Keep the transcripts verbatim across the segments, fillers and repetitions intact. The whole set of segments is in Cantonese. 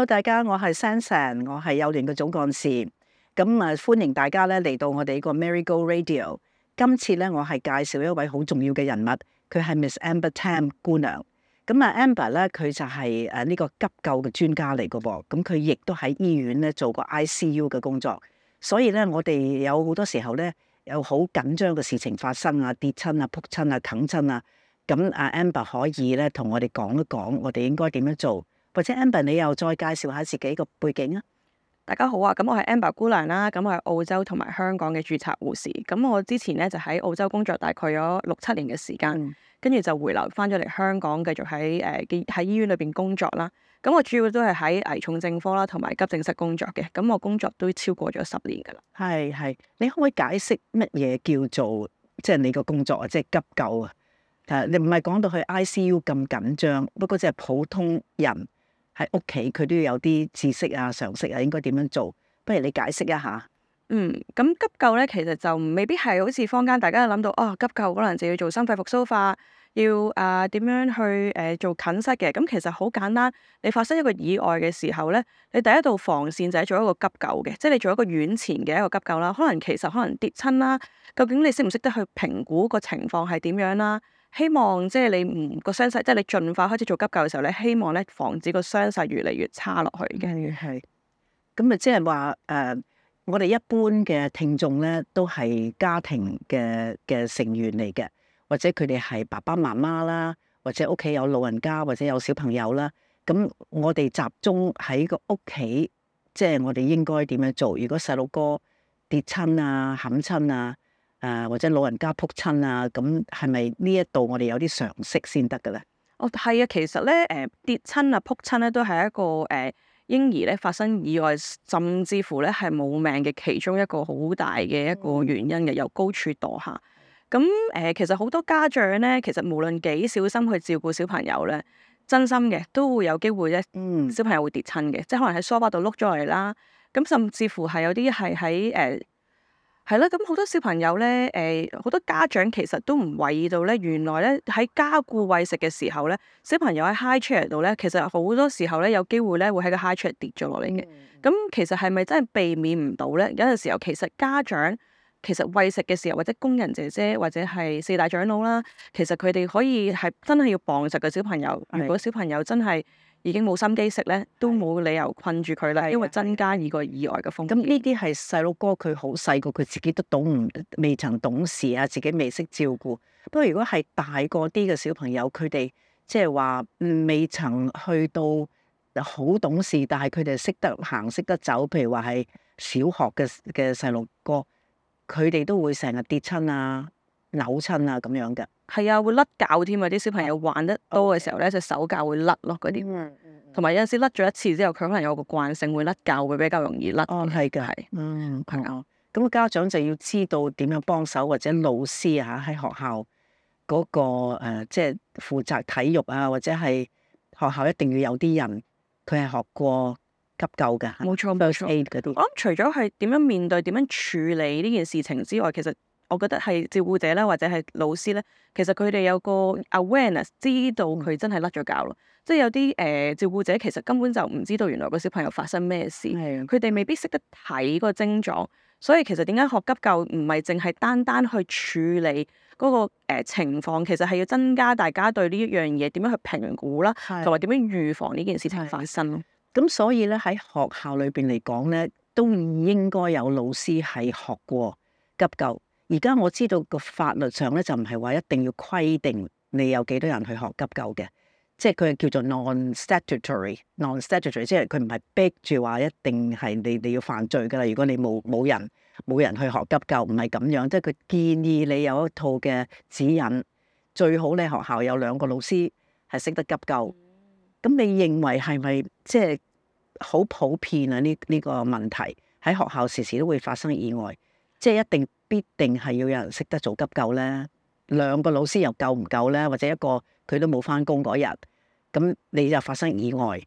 大家，我係 Sansan，我係幼聯嘅總幹事。咁啊，歡迎大家咧嚟到我哋呢個 Marigo Radio。今次咧，我係介紹一位好重要嘅人物，佢係 Miss Amber Tam 姑娘。咁啊，Amber 咧，佢就係誒呢個急救嘅專家嚟嘅噃。咁佢亦都喺醫院咧做過 I C U 嘅工作。所以咧，我哋有好多時候咧，有好緊張嘅事情發生啊，跌親啊，仆親啊，啃親啊。咁啊 Amber 可以咧同我哋講一講，我哋應該點樣做？或者 Amber 你又再介紹下自己個背景啊？大家好啊，咁我係 Amber 姑娘啦，咁我係澳洲同埋香港嘅註冊護士。咁我之前咧就喺澳洲工作大概有六七年嘅時間，跟住、嗯、就回流翻咗嚟香港，繼續喺誒喺醫院裏邊工作啦。咁我主要都係喺危重症科啦，同埋急症室工作嘅。咁我工作都超過咗十年噶啦。係係，你可唔可以解釋乜嘢叫做即係、就是、你個工作啊？即、就、係、是、急救啊？誒，你唔係講到去 I C U 咁緊張，不過即係普通人喺屋企，佢都要有啲知識啊、常識啊，應該點樣做？不如你解釋一下。嗯，咁急救咧，其實就未必係好似坊間大家諗到哦，急救可能就要做心肺復甦法，要啊點、呃、樣去誒、呃、做近室嘅。咁其實好簡單，你發生一個意外嘅時候咧，你第一道防線就係做一個急救嘅，即係你做一個院前嘅一個急救啦。可能其實可能跌親啦，究竟你識唔識得去評估個情況係點樣啦？希望即係你唔個傷勢，即係你盡快開始做急救嘅時候咧，希望咧防止個傷勢越嚟越差落去嘅。係，咁啊，即係話誒，我哋一般嘅聽眾咧，都係家庭嘅嘅成員嚟嘅，或者佢哋係爸爸媽媽啦，或者屋企有老人家，或者有小朋友啦。咁我哋集中喺個屋企，即係我哋應該點樣做？如果細路哥跌親啊、冚親啊，誒或者老人家仆親啊，咁係咪呢一度我哋有啲常識先得嘅咧？哦，係啊，其實咧，誒、呃、跌親啊、仆親咧，都係一個誒、呃、嬰兒咧發生意外，甚至乎咧係冇命嘅其中一個好大嘅一個原因嘅，由高處墮下。咁誒、呃，其實好多家長咧，其實無論幾小心去照顧小朋友咧，真心嘅都會有機會咧，嗯，小朋友會跌親嘅，即係可能喺梳化度碌咗落嚟啦。咁甚至乎係有啲係喺誒。呃係啦，咁好多小朋友咧，誒、呃、好多家長其實都唔為意到咧，原來咧喺加固餵食嘅時候咧，小朋友喺 high chair 度咧，其實好多時候咧有機會咧會喺個 high chair 跌咗落嚟嘅。咁、嗯、其實係咪真係避免唔到咧？有陣時候其實家長其實餵食嘅時候，或者工人姐姐或者係四大長老啦，其實佢哋可以係真係要傍實嘅小朋友。的如果小朋友真係已經冇心機食咧，都冇理由困住佢啦，的因為增加呢個意外嘅風險。咁呢啲係細路哥，佢好細個，佢自己都懂唔未曾懂事啊，自己未識照顧。不過如果係大個啲嘅小朋友，佢哋即係話未曾去到好懂事，但係佢哋識得行、識得走。譬如話係小學嘅嘅細路哥，佢哋都會成日跌親啊、扭親啊咁樣嘅。係啊，會甩臼添啊！啲小朋友玩得多嘅時候咧，隻手臼會甩咯，嗰啲。同埋有陣時甩咗一次之後，佢可能有個慣性會甩臼，會比較容易甩。哦，係嘅，係，嗯，係啊。咁家長就要知道點樣幫手，或者老師啊喺學校嗰個誒，即係負責體育啊，或者係學校一定要有啲人佢係學過急救嘅。冇錯，冇錯。嗰啲。我諗除咗係點樣面對、點樣處理呢件事情之外，其實我覺得係照顧者咧，或者係老師咧，其實佢哋有個 awareness，知道佢真係甩咗臼咯。即係有啲誒、呃、照顧者其實根本就唔知道原來個小朋友發生咩事，佢哋的未必識得睇個症狀。所以其實點解學急救唔係淨係單單去處理嗰、那個、呃、情況，其實係要增加大家對呢一樣嘢點樣去評估啦，同埋點樣預防呢件事情發生咯。咁所以咧喺學校裏邊嚟講咧，都應該有老師係學過急救。而家我知道個法律上咧就唔係話一定要規定你有幾多人去學急救嘅，即係佢係叫做 non-statutory，non-statutory， 即係佢唔係逼住話一定係你你要犯罪噶啦。如果你冇冇人冇人去學急救，唔係咁樣，即係佢建議你有一套嘅指引，最好你學校有兩個老師係識得急救。咁你認為係咪即係好普遍啊？呢呢個問題喺學校時時都會發生意外，即係一定必定係要有人識得做急救咧？兩個老師又夠唔夠咧？或者一個佢都冇返工嗰日，咁你就發生意外，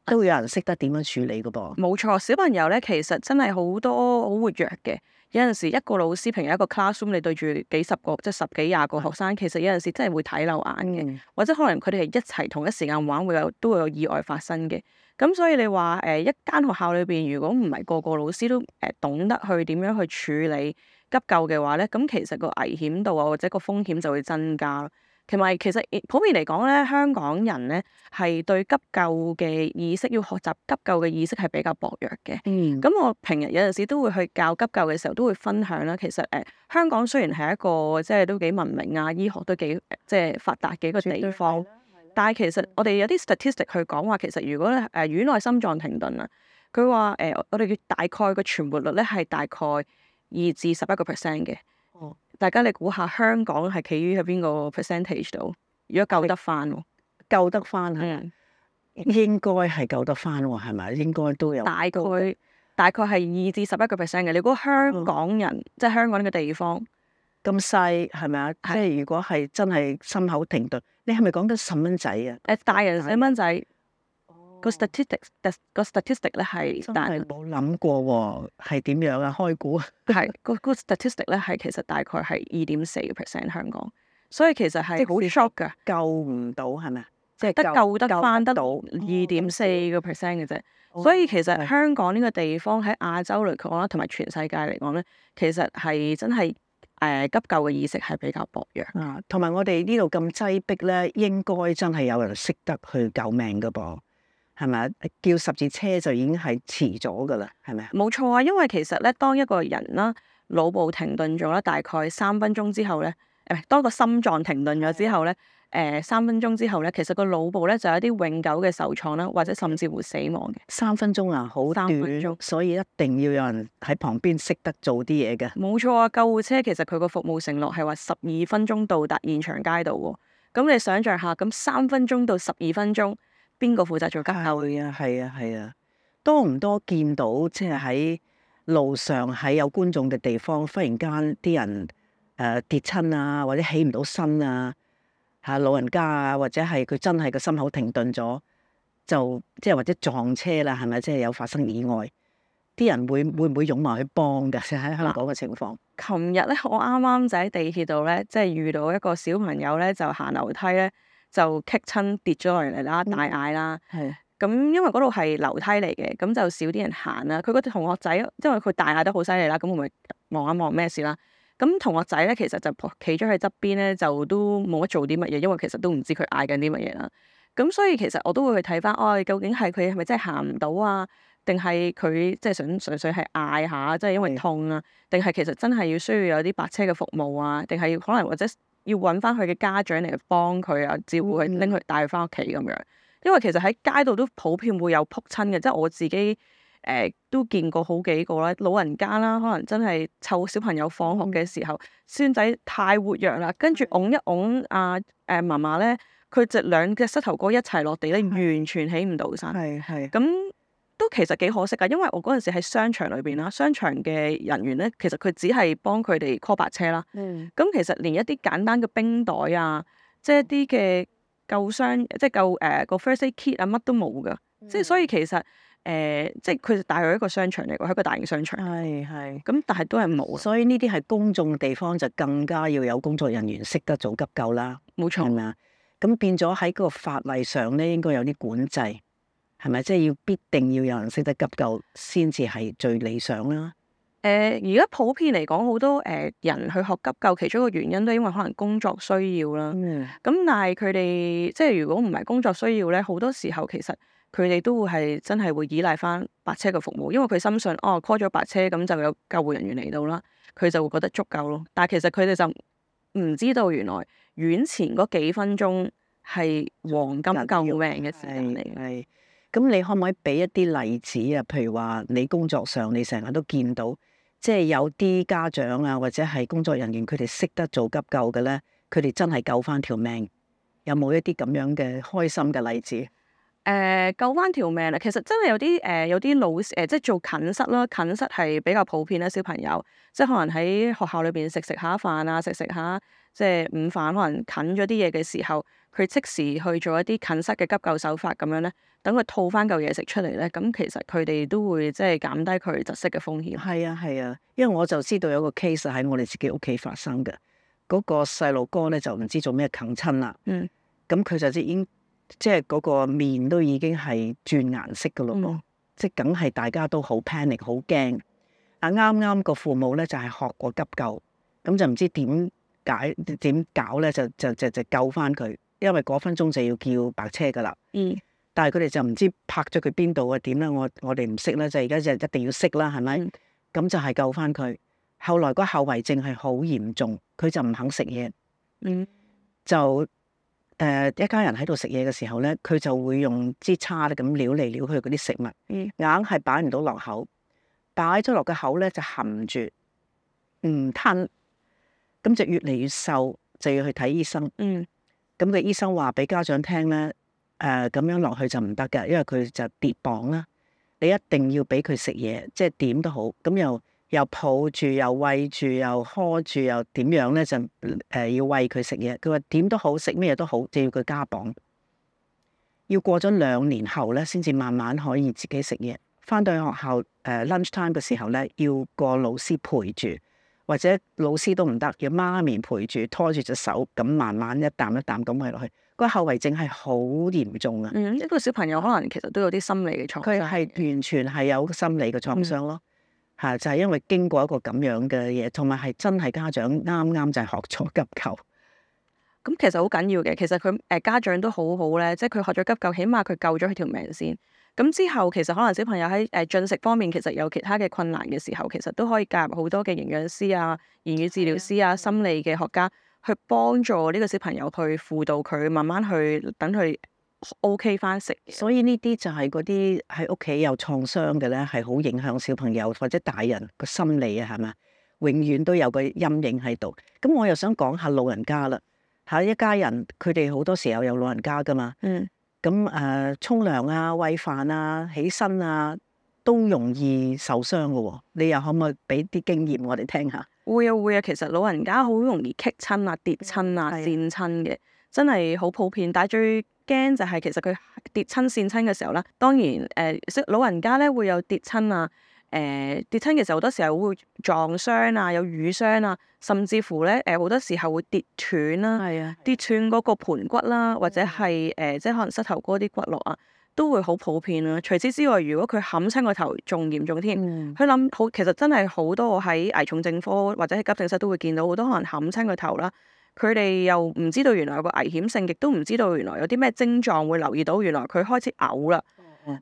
都有人識得點樣處理噶噃？冇錯，小朋友咧其實真係好多好活躍嘅，有陣時一個老師平日一個 classroom 你對住幾十個即係十幾廿個學生，其實有陣時真係會睇漏眼嘅，嗯或者可能佢哋係一齊同一時間玩，會有都會有意外發生嘅。咁所以你話誒、呃、一間學校裏邊，如果唔係個個老師都誒、呃、懂得去點樣去處理急救嘅話咧，咁其實個危險度啊或者個風險就會增加咯。同埋其實普遍嚟講咧，香港人咧係對急救嘅意識，要學習急救嘅意識係比較薄弱嘅。嗯咁我平日有陣時都會去教急救嘅時候，都會分享啦。其實誒、呃、香港雖然係一個即係都幾文明啊，醫學都幾即係發達嘅一個地方，但係其實我哋有啲 statistic 去講話，其實如果咧誒、呃、院內心臟停頓啊，佢話誒我哋嘅大概個存活率咧係大概二至十一個 percent 嘅。哦，大家你估下香港係企於喺邊個 percentage 度？如果救得翻喎，救得翻係嗯，應該係救得翻喎，係咪？應該都有大概大概係二至十一個 percent 嘅。你估香港人、嗯即係香港呢個地方？咁細係咪啊？即係係如果係真係心口停頓，你係咪講緊細蚊仔啊？誒大人細蚊仔個哦 statistics 個 statistic 咧係真大係冇諗過喎，係點樣啊？開估係個個 statistic 咧係其實大概係二點四個 percent 香港，所以其實係好 shock 㗎，救唔到係咪啊？即係得救得翻得到二點四個 percent 嘅啫。哦所以其實係香港呢個地方喺亞洲嚟講啦，同埋全世界嚟講咧，其實係真係誒、呃、急救嘅意識係比較薄弱。啊，同埋我哋呢度咁擠迫咧，應該真係有人識得去救命噶噃，係咪啊？叫十字車就已經係遲咗噶啦，係咪啊？冇錯啊，因為其實咧，當一個人啦腦部停頓咗啦，大概三分鐘之後咧，誒、當個心臟停頓咗之後咧，誒、三分鐘之後咧，其實個腦部咧就有一啲永久嘅受創啦，或者甚至乎死亡嘅。三分鐘啊，好三短分鐘，所以一定要有人喺旁邊識得做啲嘢嘅。冇錯啊，救護車其實佢個服務承諾係話十二分鐘到達現場街道喎。咁你想象下，咁三分鐘到十二分鐘，邊個負責做急救？係啊，係啊，係啊，多唔多見到即係喺路上喺有觀眾嘅地方，忽然間啲人誒、呃、跌親啊，或者起唔到身啊，嚇老人家啊，或者係佢真係個心口停頓咗，就即係或者撞車啦，係咪？即係有發生意外，啲人會會唔會湧埋去幫㗎？即係喺香港嘅情況。琴日咧，我啱啱就喺地鐵度咧，即係遇到一個小朋友咧，就行樓梯咧，就棘親跌咗落嚟啦，大嗌啦。係咁因為嗰度係樓梯嚟嘅，咁就少啲人行啦。佢個同學仔，因為佢大嗌得好犀利啦，咁我咪望一望咩事啦。咁同學仔咧，其實就企咗喺側邊咧，就都冇乜做啲乜嘢，因為其實都唔知佢嗌緊啲乜嘢啦。咁所以其實我都會去睇翻，哦，究竟係佢係咪真係行唔到啊？定係佢即係想純粹係嗌下，即係因為痛啊？定係其實真係要需要有啲白車嘅服務啊？定係要可能或者要揾翻佢嘅家長嚟幫佢啊，照顧佢，拎佢帶佢翻屋企咁樣。因為其實喺街度都普遍會有仆親嘅，即係我自己誒、呃、都見過好幾個啦，老人家啦，可能真係湊小朋友放學嘅時候，孫仔太活躍啦，跟住擁一擁阿誒嫲嫲咧，佢隻兩隻膝頭哥一齊落地咧，完全起唔到身。係係。咁都其實幾可惜㗎，因為我嗰陣時喺商場裏邊啦，商場嘅人員咧，其實佢只係幫佢哋 call 白車啦。嗯。咁其實連一啲簡單嘅冰袋啊，即係一啲嘅救傷，即係救誒個 first aid kit 啊，乜都冇㗎。即係所以其實誒、呃，即係佢大約一個商場嚟㗎，係一個大型商場。係係。咁但係都係冇，所以呢啲係公眾地方就更加要有工作人員識得做急救啦，冇錯。係咪啊？咁變咗喺嗰個法例上咧，應該有啲管制，係咪？即係要必定要有人識得急救先至係最理想啦。誒而家普遍嚟講，好多誒、呃、人去學急救，其中一個原因都係因為可能工作需要啦。嗯。咁但係佢哋即係如果唔係工作需要咧，好多時候其實佢哋都會係真係會依賴翻白車嘅服務，因為佢深信哦 call 咗白車咁就有救護人員嚟到啦，佢就會覺得足夠咯。但係其實佢哋就唔知道原來院前嗰幾分鐘係黃金救命嘅時間嚟嘅。係。咁你可唔可以俾一啲例子啊？譬如話你工作上你成日都見到，即係有啲家長啊，或者係工作人員，佢哋識得做急救嘅咧，佢哋真係救翻條命。有冇一啲咁樣嘅開心嘅例子？誒救翻條命啦！其實真係有啲誒、呃、有啲老師誒、呃，即係做近室啦，近室係比較普遍啦，小朋友即係可能喺學校裏邊食食下飯啊，食食下即係午飯，可能近咗啲嘢嘅時候，佢即時去做一啲近室嘅急救手法咁樣咧，等佢吐翻嚿嘢食出嚟咧，咁其實佢哋都會即係減低佢窒息嘅風險。係啊係啊，因為我就知道有個 case 喺我哋自己屋企發生嘅，嗰、個細路哥咧就唔知做咩啃親啦，嗯，咁佢就已經即係嗰個面都已經係轉顏色噶咯噃，嗯即係梗係大家都好 panic 好驚。啊啱啱個父母咧就係、學過急救，咁就唔知點解點搞咧，就就就就救翻佢，因為嗰分鐘就要叫白車噶啦。嗯，但係佢哋就唔知拍咗佢邊度啊點咧，我我哋唔識啦，就而家就一定要識啦，係咪？咁、嗯、就係救翻佢。後來個後遺症係好嚴重，佢就唔肯食嘢，嗯，就。誒、呃、一家人喺度食嘢嘅時候咧，佢就會用支叉咧咁撩嚟撩去嗰啲食物，嗯、硬係擺唔到落口，擺咗落個口咧就含住唔吞，咁就越嚟越瘦，就要去睇醫生。嗯，咁個醫生話俾家長聽咧，誒、呃、咁樣落去就唔得嘅，因為佢就跌磅啦。你一定要俾佢食嘢，即係點都好，咁又。又抱住，又餵住，又呵住，又點樣咧？就誒、呃、要餵佢食嘢。佢話點都好，食咩都好，就要佢加磅。要過咗兩年後咧，先至慢慢可以自己食嘢。翻到去學校誒、呃、lunch time 嘅時候咧，要個老師陪住，或者老師都唔得，要媽咪陪住，拖住隻手咁慢慢一啖一啖咁餵落去。個後遺症係好嚴重啊！嗯，一個小朋友可能其實都有啲心理嘅創傷。佢係完全係有心理嘅創傷咯。嚇，就係因為經過一個咁樣嘅嘢，同埋係真係家長啱啱就係學咗急救。咁其實好緊要嘅，其實佢誒、呃、家長都好好咧，即係佢學咗急救，起碼佢救咗佢條命先。咁之後其實可能小朋友喺誒進食方面其實有其他嘅困難嘅時候，其實都可以介入好多嘅營養師啊、言語治療師啊、心理嘅學家去幫助呢個小朋友去輔導佢，慢慢去等佢 OK 翻食。所以呢啲就係嗰啲喺屋企有創傷嘅咧，係好影響小朋友或者大人個心理啊，係咪？永遠都有個陰影喺度。咁我又想講下老人家啦，嚇一家人佢哋好多時候有老人家噶嘛。嗯。咁誒，沖涼啊、餵飯啊、起身啊，都容易受傷噶喎。你又可唔可以俾啲經驗我哋聽下？會啊會啊，其實老人家好容易棘親啊、跌親啊、跣親嘅，真係好普遍。但係最驚就係其實佢跌親跣親嘅時候啦，當然誒、呃，老人家咧會有跌親啊。誒、呃、跌親嘅時候，好多時候會撞傷啊，有瘀傷啊，甚至乎咧誒好多時候會跌斷啦，係啊，跌斷嗰個盤骨啦，或者係誒、呃、即係可能膝頭哥啲骨骼啊，都會好普遍啦。除此之外，如果佢冚親個頭，仲嚴重添。佢諗、嗯、好，其實真係好多我喺危重症科或者喺急症室都會見到好多可能冚親個頭啦。佢哋又唔知道原來有個危險性，亦都唔知道原來有啲咩症狀會留意到，原來佢開始嘔啦。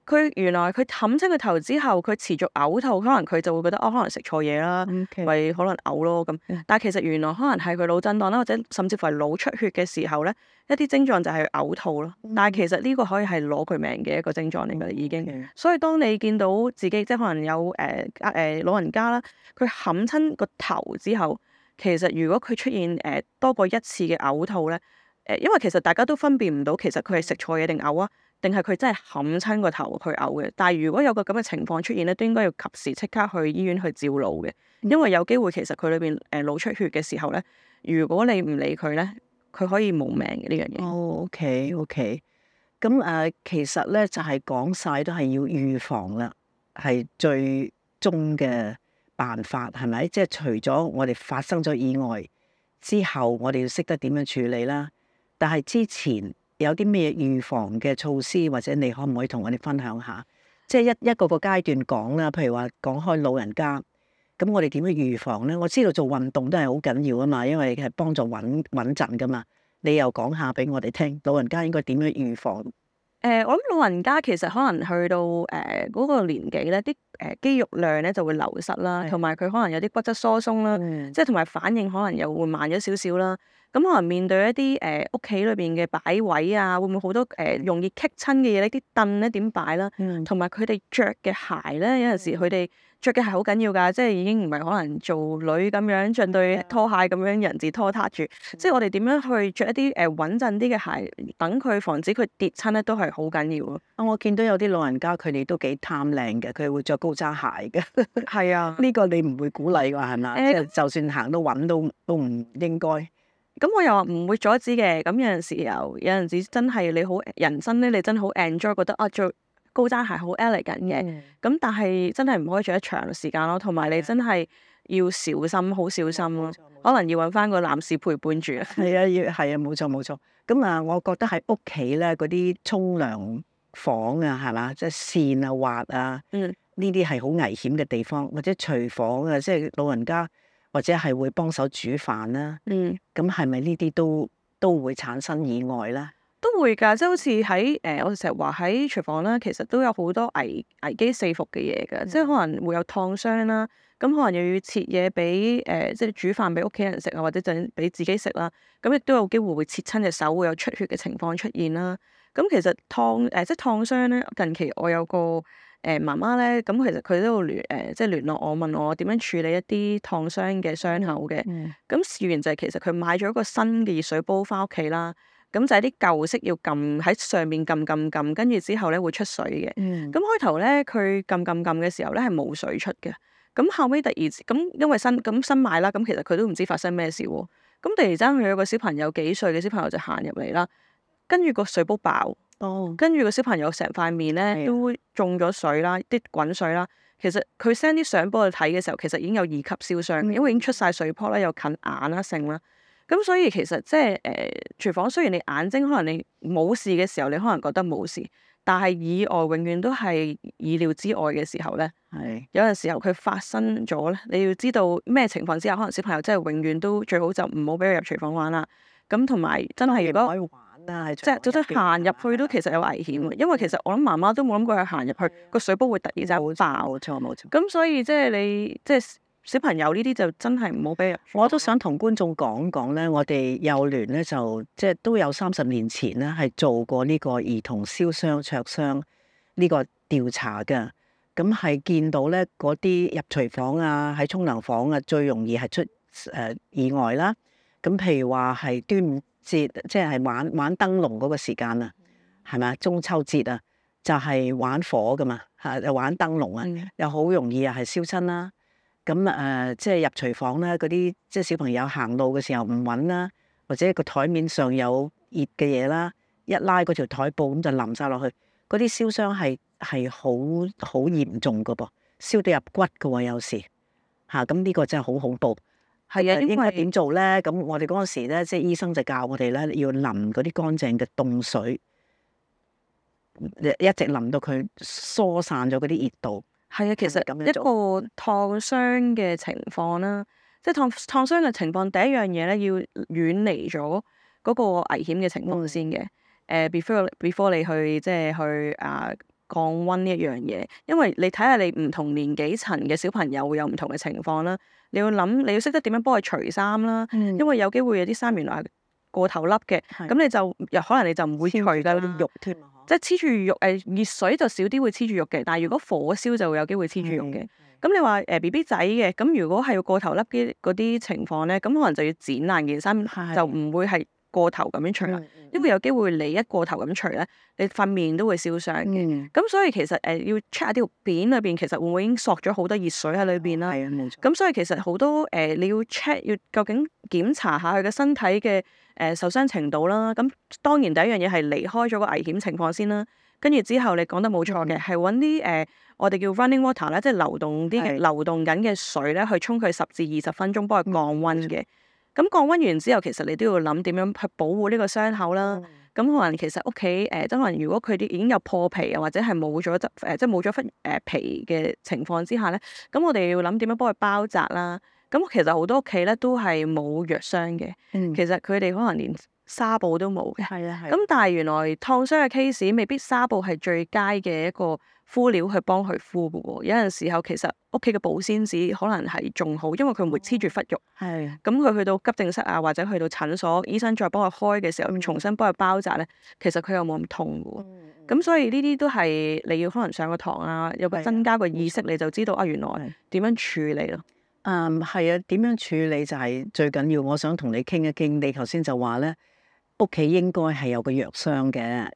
佢原來佢冚親個頭之後，佢持續嘔吐，可能佢就會覺得哦，可能食錯嘢啦，咪 Okay. 可能嘔咯咁。但係其實原來可能係佢腦震盪啦，或者甚至乎係腦出血嘅時候咧，一啲症狀就係嘔吐咯。但係其實呢個可以係攞佢命嘅一個症狀嚟㗎，已經。Okay. 所以當你見到自己即係可能有誒誒、呃呃、老人家啦，佢冚親個頭之後，其實如果佢出現誒、呃、多過一次嘅嘔吐咧，誒、呃、因為其實大家都分辨唔到其實佢係食錯嘢定嘔啊。定係佢真係冚親個頭去嘔嘅，但係如果有個咁嘅情況出現咧，都應該要及時即刻去醫院去照腦嘅，因為有機會其實佢裏邊誒腦出血嘅時候咧，如果你唔理佢咧，佢可以冇命嘅呢樣嘢。哦，OK OK，咁誒其實咧就係講晒都係要預防啦，係最終嘅辦法係咪？即係除咗我哋發生咗意外之後，我哋要識得點樣處理啦，但係之前。有啲咩預防嘅措施，或者你可唔可以同我哋分享下？即係一一個個階段講啦，譬如話講開老人家，咁我哋點樣預防咧？我知道做運動都係好緊要啊嘛，因為係幫助穩穩陣噶嘛。你又講下俾我哋聽，老人家應該點樣預防？誒、呃，我諗老人家其實可能去到誒嗰、呃嗰個年紀咧，啲誒肌肉量咧就會流失啦，同埋佢可能有啲骨質疏鬆啦，嗯、即係同埋反應可能又會慢咗少少啦。咁可能面對一啲誒屋企裏邊嘅擺位啊，會唔會好多誒、呃、容易棘親嘅嘢咧？啲凳咧點擺啦？同埋佢哋着嘅鞋咧，有陣時佢哋着嘅係好緊要㗎，即係已經唔係可能做女咁樣着對拖鞋咁樣人字拖撻住，即係我哋點樣去着一啲誒穩陣啲嘅鞋，等佢防止佢跌親咧，都係好緊要咯。啊，我見到有啲老人家佢哋都幾貪靚嘅，佢會着高踭鞋嘅。係啊，呢個你唔會鼓勵㗎係咪？誒即係就算行到穩都都唔應該。咁我又話唔會阻止嘅，咁有陣時又有陣時真係你好人生咧，你真係好 enjoy，覺得啊着高踭鞋好 elegant 嘅，咁、嗯但係真係唔可以着得長時間咯，同埋你真係要小心，好小心咯，可能要揾翻個男士陪伴住。係啊，要係啊，冇錯冇錯。咁啊，我覺得喺屋企咧嗰啲沖涼房啊，係嘛，即係線啊、滑啊，嗯呢啲係好危險嘅地方，或者廚房啊，即係老人家或者係會幫手煮飯啦。嗯，咁係咪呢啲都都會產生意外咧？都會㗎，即係好似喺誒，我哋成日話喺廚房啦，其實都有好多危危機四伏嘅嘢㗎，即係可能會有燙傷啦，咁可能又要切嘢俾誒，即係煮飯俾屋企人食啊，或者就俾自己食啦，咁亦都有機會會切親隻手，會有出血嘅情況出現啦。咁其實燙誒、呃、即係燙傷咧，近期我有個誒、呃、媽媽咧，咁其實佢都有聯誒即係聯絡我，問我點樣處理一啲燙傷嘅傷口嘅。嗯咁事緣就係其實佢買咗一個新嘅熱水煲翻屋企啦。咁就係啲舊式要撳喺上面撳撳撳，跟住之後咧會出水嘅。嗯咁開頭咧佢撳撳撳嘅時候咧係冇水出嘅。咁後尾突然咁因為新咁新買啦，咁其實佢都唔知發生咩事喎。咁突然之間佢有個小朋友幾歲嘅小朋友就行入嚟啦，跟住個水煲爆，哦，跟住個小朋友成塊面係啊咧都中咗水啦，啲滾水啦。其實佢 send 啲相俾我睇嘅時候，其實已經有二級燒傷，嗯因為已經出晒水泡啦，又近眼啦，剩啦。咁所以其實即係誒廚房，雖然你眼睛可能你冇事嘅時候，你可能覺得冇事，但係意外永遠都係意料之外嘅時候咧。係有陣時候佢發生咗咧，你要知道咩情況之下，可能小朋友真係永遠都最好就唔好俾佢入廚房玩啦。咁同埋真係如果唔可以玩啦，喺即係就算行入去都其實有危險嘅，因為其實我諗媽媽都冇諗過佢行入去個水煲會突然之間爆。冇錯冇錯。咁所以即係你即係小朋友呢啲就真係唔好俾入廚房。我都想同觀眾講講咧，我哋幼聯咧就即係都有三十年前咧係做過呢個兒童燒傷灼傷呢個調查嘅。咁係見到咧嗰啲入廚房啊，喺沖涼房啊，最容易係出誒、呃、意外啦。咁譬如話係端午節，即係玩玩燈籠嗰個時間啊，係咪啊？中秋節啊，就係、是、玩火噶嘛，嚇又玩燈籠啊，嗯又好容易啊係燒親啦。咁誒、呃，即係入廚房咧，嗰啲即係小朋友行路嘅時候唔穩啦，或者個台面上有熱嘅嘢啦，一拉嗰條台布咁就淋晒落去，嗰啲燒傷係係好好嚴重噶噃，燒到入骨噶喎，有時嚇，咁、啊、呢個真係好恐怖。係啊，因應該為點做咧？咁我哋嗰陣時咧，即係醫生就教我哋咧，要淋嗰啲乾淨嘅凍水，一直淋到佢疏散咗嗰啲熱度。係啊，其實係咪咁樣一個燙傷嘅情況啦，即係燙燙傷嘅情況，第一樣嘢咧要遠離咗嗰個危險嘅情況先嘅。誒、呃、before before 你去即係去啊降溫呢一樣嘢，因為你睇下你唔同年紀層嘅小朋友會有唔同嘅情況啦。你要諗，你要識得點樣幫佢除衫啦，嗯因為有機會有啲衫原來係過頭笠嘅，係咁你就又可能你就唔會除㗎啦。啲肉添啊！即係黐住肉，誒熱水就少啲會黐住肉嘅，但係如果火燒就會有機會黐住肉嘅。咁你話誒 B B 仔嘅，咁如果係要過頭笠啲嗰啲情況咧，咁可能就要剪爛件衫，係就唔會係過頭咁樣除啦。嗯因為有機會你一過頭咁除咧，你塊面都會燒傷嘅。嗯，咁所以其實誒、呃、要 check 下條片裏邊其實會唔會已經索咗好多熱水喺裏邊啦。係啊，冇錯。咁所以其實好多誒、呃、你要 check 要究竟檢查下佢嘅身體嘅誒、呃、受傷程度啦。咁當然第一樣嘢係離開咗個危險情況先啦。跟住之後你講得冇錯嘅，係揾啲誒我哋叫 running water 咧，即係流動啲嘅係流動緊嘅水咧，去沖佢十至二十分鐘，幫佢降溫嘅。咁降溫完之後，其實你都要諗點樣去保護呢個傷口啦。咁、可能其實屋企誒，即可能如果佢啲已經有破皮啊，或者係冇咗質誒，即係冇咗忽誒皮嘅情況之下咧，咁我哋要諗點樣幫佢包紮啦。咁其實好多屋企咧都係冇藥箱嘅，嗯，其實佢哋可能連紗布都冇嘅。係啊係。咁但係原來燙傷嘅 case 未必紗布係最佳嘅一個敷料去幫佢敷嘅喎。有陣時候其實屋企嘅保鮮紙可能係仲好，因為佢唔會黐住忽肉。係咁佢去到急症室啊，或者去到診所，醫生再幫佢開嘅時候，重新幫佢包紮咧，其實佢又冇咁痛嘅喎。咁所以呢啲都係你要可能上個堂啊，有個增加個意識，你就知道啊原來點樣處理咯。嗯，係啊，點樣處理就係最緊要。我想同你傾一傾，你頭先就話咧，屋企應該係有個藥箱嘅，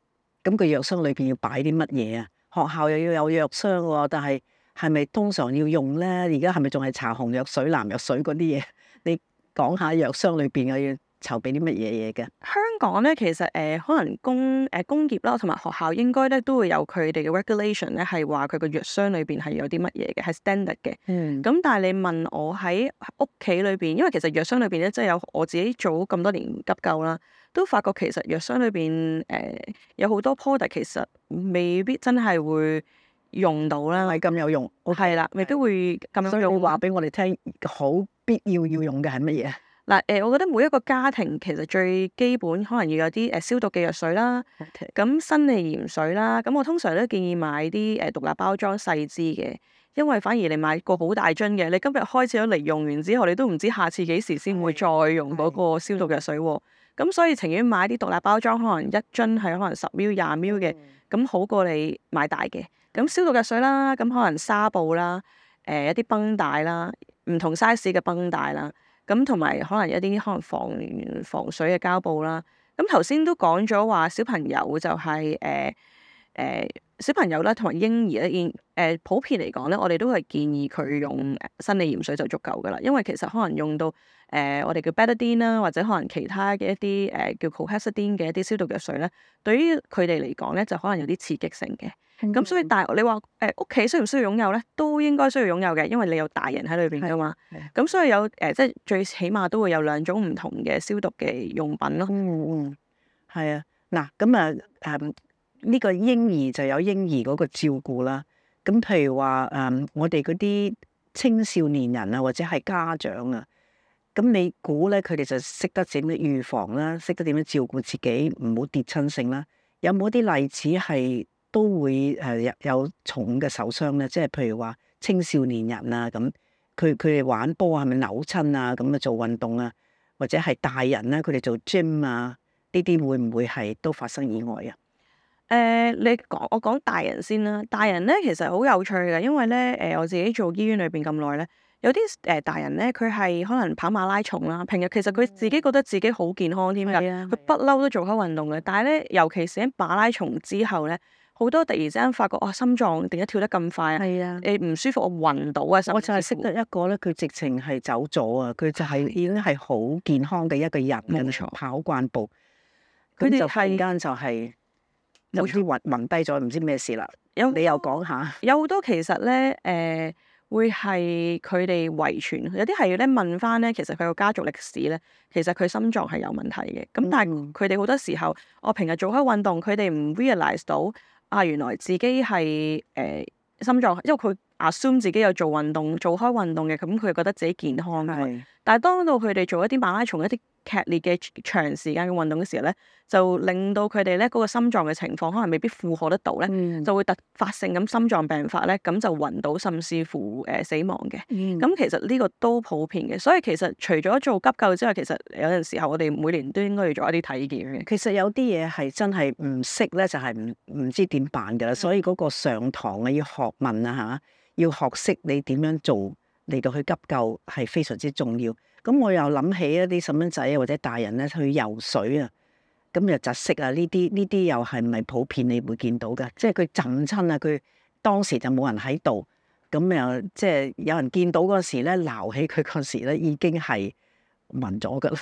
咁個藥箱裏邊要擺啲乜嘢啊？學校又要有藥箱喎，但係係咪通常要用咧？而家係咪仲係搽紅藥水、藍藥水嗰啲嘢？你講下藥箱裏邊又要籌備啲乜嘢嘢嘅？香港咧，其實誒、呃、可能工誒、呃、工業啦，同埋學校應該咧都會有佢哋嘅 regulation 咧，係話佢個藥箱裏邊係有啲乜嘢嘅，係 standard 嘅。嗯。咁但係你問我喺屋企裏邊，因為其實藥箱裏邊咧，即係有我自己做咁多年急救啦，都發覺其實藥箱裏邊誒有好多 product 其實未必真係會用到啦，係咁有用。係啦，未必會咁有所以用。你話俾我哋聽，好必要要用嘅係乜嘢？嗱，誒，我覺得每一個家庭其實最基本可能要有啲誒消毒嘅藥水啦，咁生理鹽水啦，咁我通常都建議買啲誒獨立包裝細支嘅，因為反而你買個好大樽嘅，你今日開始咗嚟用完之後，你都唔知下次幾時先會再用嗰個消毒藥水喎。咁所以情願買啲獨立包裝，可能一樽係可能十 ml、廿 ml 嘅，咁好過你買大嘅。咁消毒藥水啦，咁可能紗布啦，誒一啲繃帶啦，唔同 size 嘅繃帶啦。咁同埋可能一啲可能防防水嘅膠布啦。咁頭先都講咗話小朋友就係誒誒小朋友啦，同埋嬰兒咧，現誒普遍嚟講咧，我哋都係建議佢用生理鹽水就足夠噶啦。因為其實可能用到誒、呃、我哋叫 betadine 啦，或者可能其他嘅一啲誒、呃、叫 chlorhexidine 嘅一啲消毒藥水咧，對於佢哋嚟講咧，就可能有啲刺激性嘅。咁、嗯、所以但係你話誒屋企需唔需要擁有咧？都應該需要擁有嘅，因為你有大人喺裏邊噶嘛。咁所以有誒、呃，即係最起碼都會有兩種唔同嘅消毒嘅用品咯。嗯嗯，係啊。嗱，咁啊誒呢個嬰兒就有嬰兒嗰個照顧啦。咁譬如話誒、嗯，我哋嗰啲青少年人啊，或者係家長啊，咁你估咧佢哋就識得點樣預防啦，識得點樣照顧自己，唔好跌親性啦。有冇啲例子係都會誒有有重嘅受傷咧？即係譬如話青少年人啊，咁佢佢哋玩波係咪扭親啊？咁啊做運動啊，或者係大人咧，佢哋做 gym 啊，呢啲會唔會係都發生意外啊？誒、呃，你講我講大人先啦。大人咧其實好有趣嘅，因為咧誒、呃、我自己做醫院裏邊咁耐咧，有啲誒、呃、大人咧佢係可能跑馬拉松啦，平日其實佢自己覺得自己好健康添㗎，佢不嬲都做開運動嘅。但係咧，尤其是喺馬拉松之後咧，好多突然之間發覺，哇、哦，心臟點解跳得咁快啊？係啊，誒唔舒服，我暈到啊！我就係識得一個咧，佢直情係走咗啊！佢就係已經係好健康嘅一個人，冇錯，跑慣步，佢哋就忽然間就係、是。有啲暈暈低咗，唔知咩事啦。有你又講下，有好多其實咧，誒、呃、會係佢哋遺傳，有啲係咧問翻咧，其實佢個家族歷史咧，其實佢心臟係有問題嘅。咁但係佢哋好多時候，我平日做開運動，佢哋唔 realize 到啊，原來自己係誒、呃、心臟，因為佢 assume 自己有做運動，做開運動嘅，咁佢覺得自己健康嘅。但係當到佢哋做一啲馬拉松一啲劇烈嘅長時間嘅運動嘅時候咧，就令到佢哋咧嗰個心臟嘅情況可能未必負荷得到咧，嗯、就會突發性咁心臟病發咧，咁就暈倒甚至乎誒、呃、死亡嘅。咁、嗯、其實呢個都普遍嘅，所以其實除咗做急救之外，其實有陣時候我哋每年都應該要做一啲體檢嘅。其實有啲嘢係真係唔識咧，就係唔唔知點辦㗎啦。所以嗰個上堂啊，要學問啊嚇，要學識你點樣做嚟到去急救係非常之重要。咁我又諗起一啲細蚊仔啊，或者大人咧去游水啊，咁又窒息啊，呢啲呢啲又係唔係普遍你會見到㗎？即係佢浸親啊，佢當時就冇人喺度，咁又即係有人見到嗰時咧，撈起佢嗰時咧已經係暈咗㗎啦。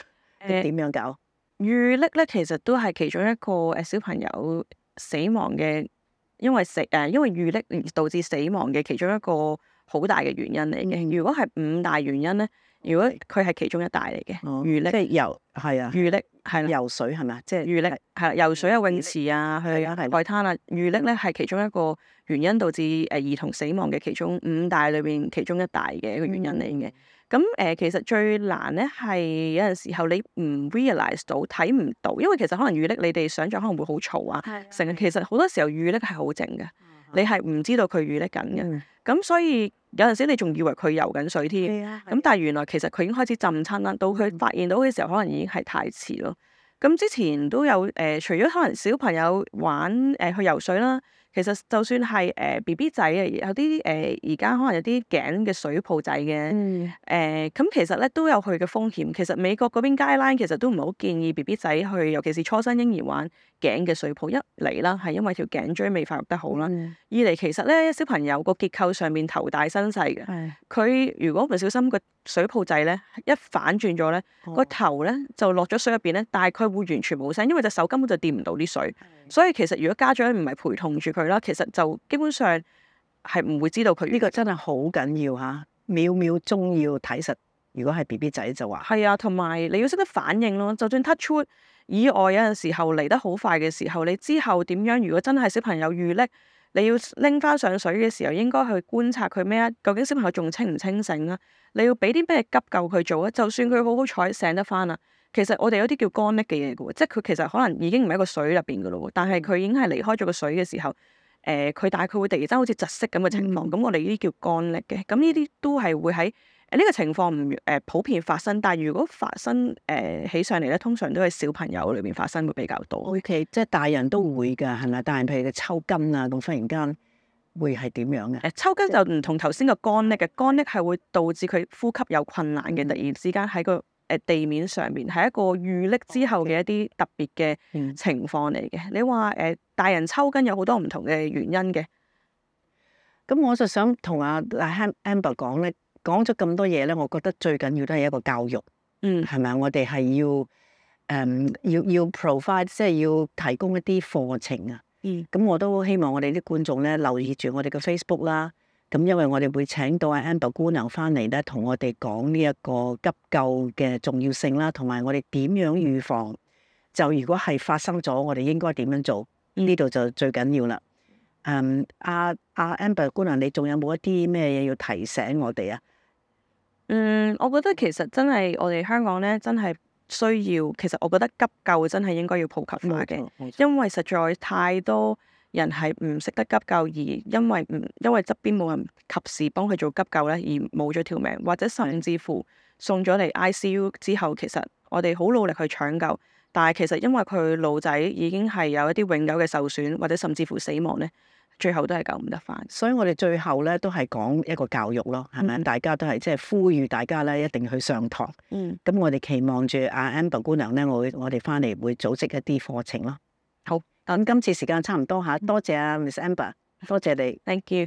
誒點樣搞？遇溺咧，其實都係其中一個誒小朋友死亡嘅，因為死誒因為遇溺而導致死亡嘅其中一個好大嘅原因嚟嘅。嗯、如果係五大原因咧。如果佢係其中一大嚟嘅，遇溺、哦、即係游係啊，遇溺係啦，游水係咪啊？即係遇溺係啦，游水啊，泳池啊，去海灘啊，遇溺咧係其中一個原因導致誒兒童死亡嘅其中五大裏邊其中一大嘅一個原因嚟嘅。咁誒、嗯呃，其實最難咧係有陣時候你唔 realize 到睇唔到，因為其實可能遇溺你哋想象可能會好嘈啊，成日的其實好多時候遇溺係好靜嘅，嗯、你係唔知道佢遇溺緊嘅。咁、嗯、所以有陣時你仲以為佢游緊水添，咁但係原來其實佢已經開始浸親啦。到佢發現到嘅時候，可能已經係太遲咯。咁之前都有誒、呃，除咗可能小朋友玩誒、呃、去游水啦。其實就算係誒 B B 仔啊，有啲誒而家可能有啲頸嘅水泡仔嘅，誒咁、嗯呃、其實咧都有佢嘅風險。其實美國嗰邊 guideline 其實都唔係好建議 B B 仔去，尤其是初生嬰兒玩頸嘅水泡。一嚟啦，係因為條頸椎未發育得好啦；嗯二嚟其實咧小朋友個結構上面頭大身細嘅，係佢如果唔小心個水泡仔咧一反轉咗咧，個、哦頭咧就落咗水入邊咧，但係佢會完全冇聲，因為隻手根本就掂唔到啲水。所以其實如果家長唔係陪同住佢啦，其實就基本上係唔會知道佢呢個真係好緊要嚇，秒秒鐘要睇實。如果係 B B 仔就話係啊，同埋你要識得反應咯。就算 touch wood 以外，有陣時候嚟得好快嘅時候，你之後點樣？如果真係小朋友遇溺，你要拎翻上水嘅時候，應該去觀察佢咩啊？究竟小朋友仲清唔清醒啊？你要俾啲咩急救佢做啊？就算佢好好彩醒得翻啊，其實我哋有啲叫乾溺嘅嘢嘅喎，即係佢其實可能已經唔喺個水入邊嘅咯喎，但係佢已經係離開咗個水嘅時候，誒、呃、佢但係佢會突然間好似窒息咁嘅情況，咁、嗯我哋呢啲叫乾溺嘅，咁呢啲都係會喺誒呢個情況唔誒普遍發生，但係如果發生誒、呃、起上嚟咧，通常都係小朋友裏邊發生會比較多。 O K，即係大人都會㗎，係咪？大人譬如佢抽筋啊，咁忽然間會係點樣嘅？誒抽筋就唔同頭先個乾溺嘅，乾溺係會導致佢呼吸有困難嘅，突然之間喺個誒地面上面係一個遇溺之後嘅一啲特別嘅嗯情況嚟嘅。你話誒、呃、大人抽筋有好多唔同嘅原因嘅。咁我就想同阿阿 Amber 講咧，講咗咁多嘢咧，我覺得最緊要都係一個教育，嗯係咪？我哋係要誒、嗯、要要 provide，即係要提供一啲課程啊。嗯咁我都希望我哋啲觀眾咧留意住我哋嘅 Facebook 啦。咁因為我哋會請到阿 Amber 姑娘翻嚟咧，同我哋講呢一個急救嘅重要性啦，同埋我哋點樣預防。就如果係發生咗，我哋應該點樣做？呢度就最緊要啦。誒，阿阿 Amber 姑娘，你仲有冇一啲咩嘢要提醒我哋啊？嗯，我覺得其實真係我哋香港咧，真係需要。其實我覺得急救真係應該要普及化嘅，冇錯因為實在太多人係唔識得急救，而因為唔因為側邊冇人及時幫佢做急救咧，而冇咗條命，或者甚至乎送咗嚟 I C U 之後，其實我哋好努力去搶救，但係其實因為佢腦仔已經係有一啲永久嘅受損，或者甚至乎死亡咧，最後都係救唔得翻。所以我哋最後咧都係講一個教育咯，係咪？嗯大家都係即係呼籲大家咧一定要去上堂。嗯，咁我哋期望住阿 Amber 姑娘咧，我會我哋翻嚟會組織一啲課程咯。好，咁今次時間差唔多嚇，多謝阿 Miss Amber，多謝你。 Thank you。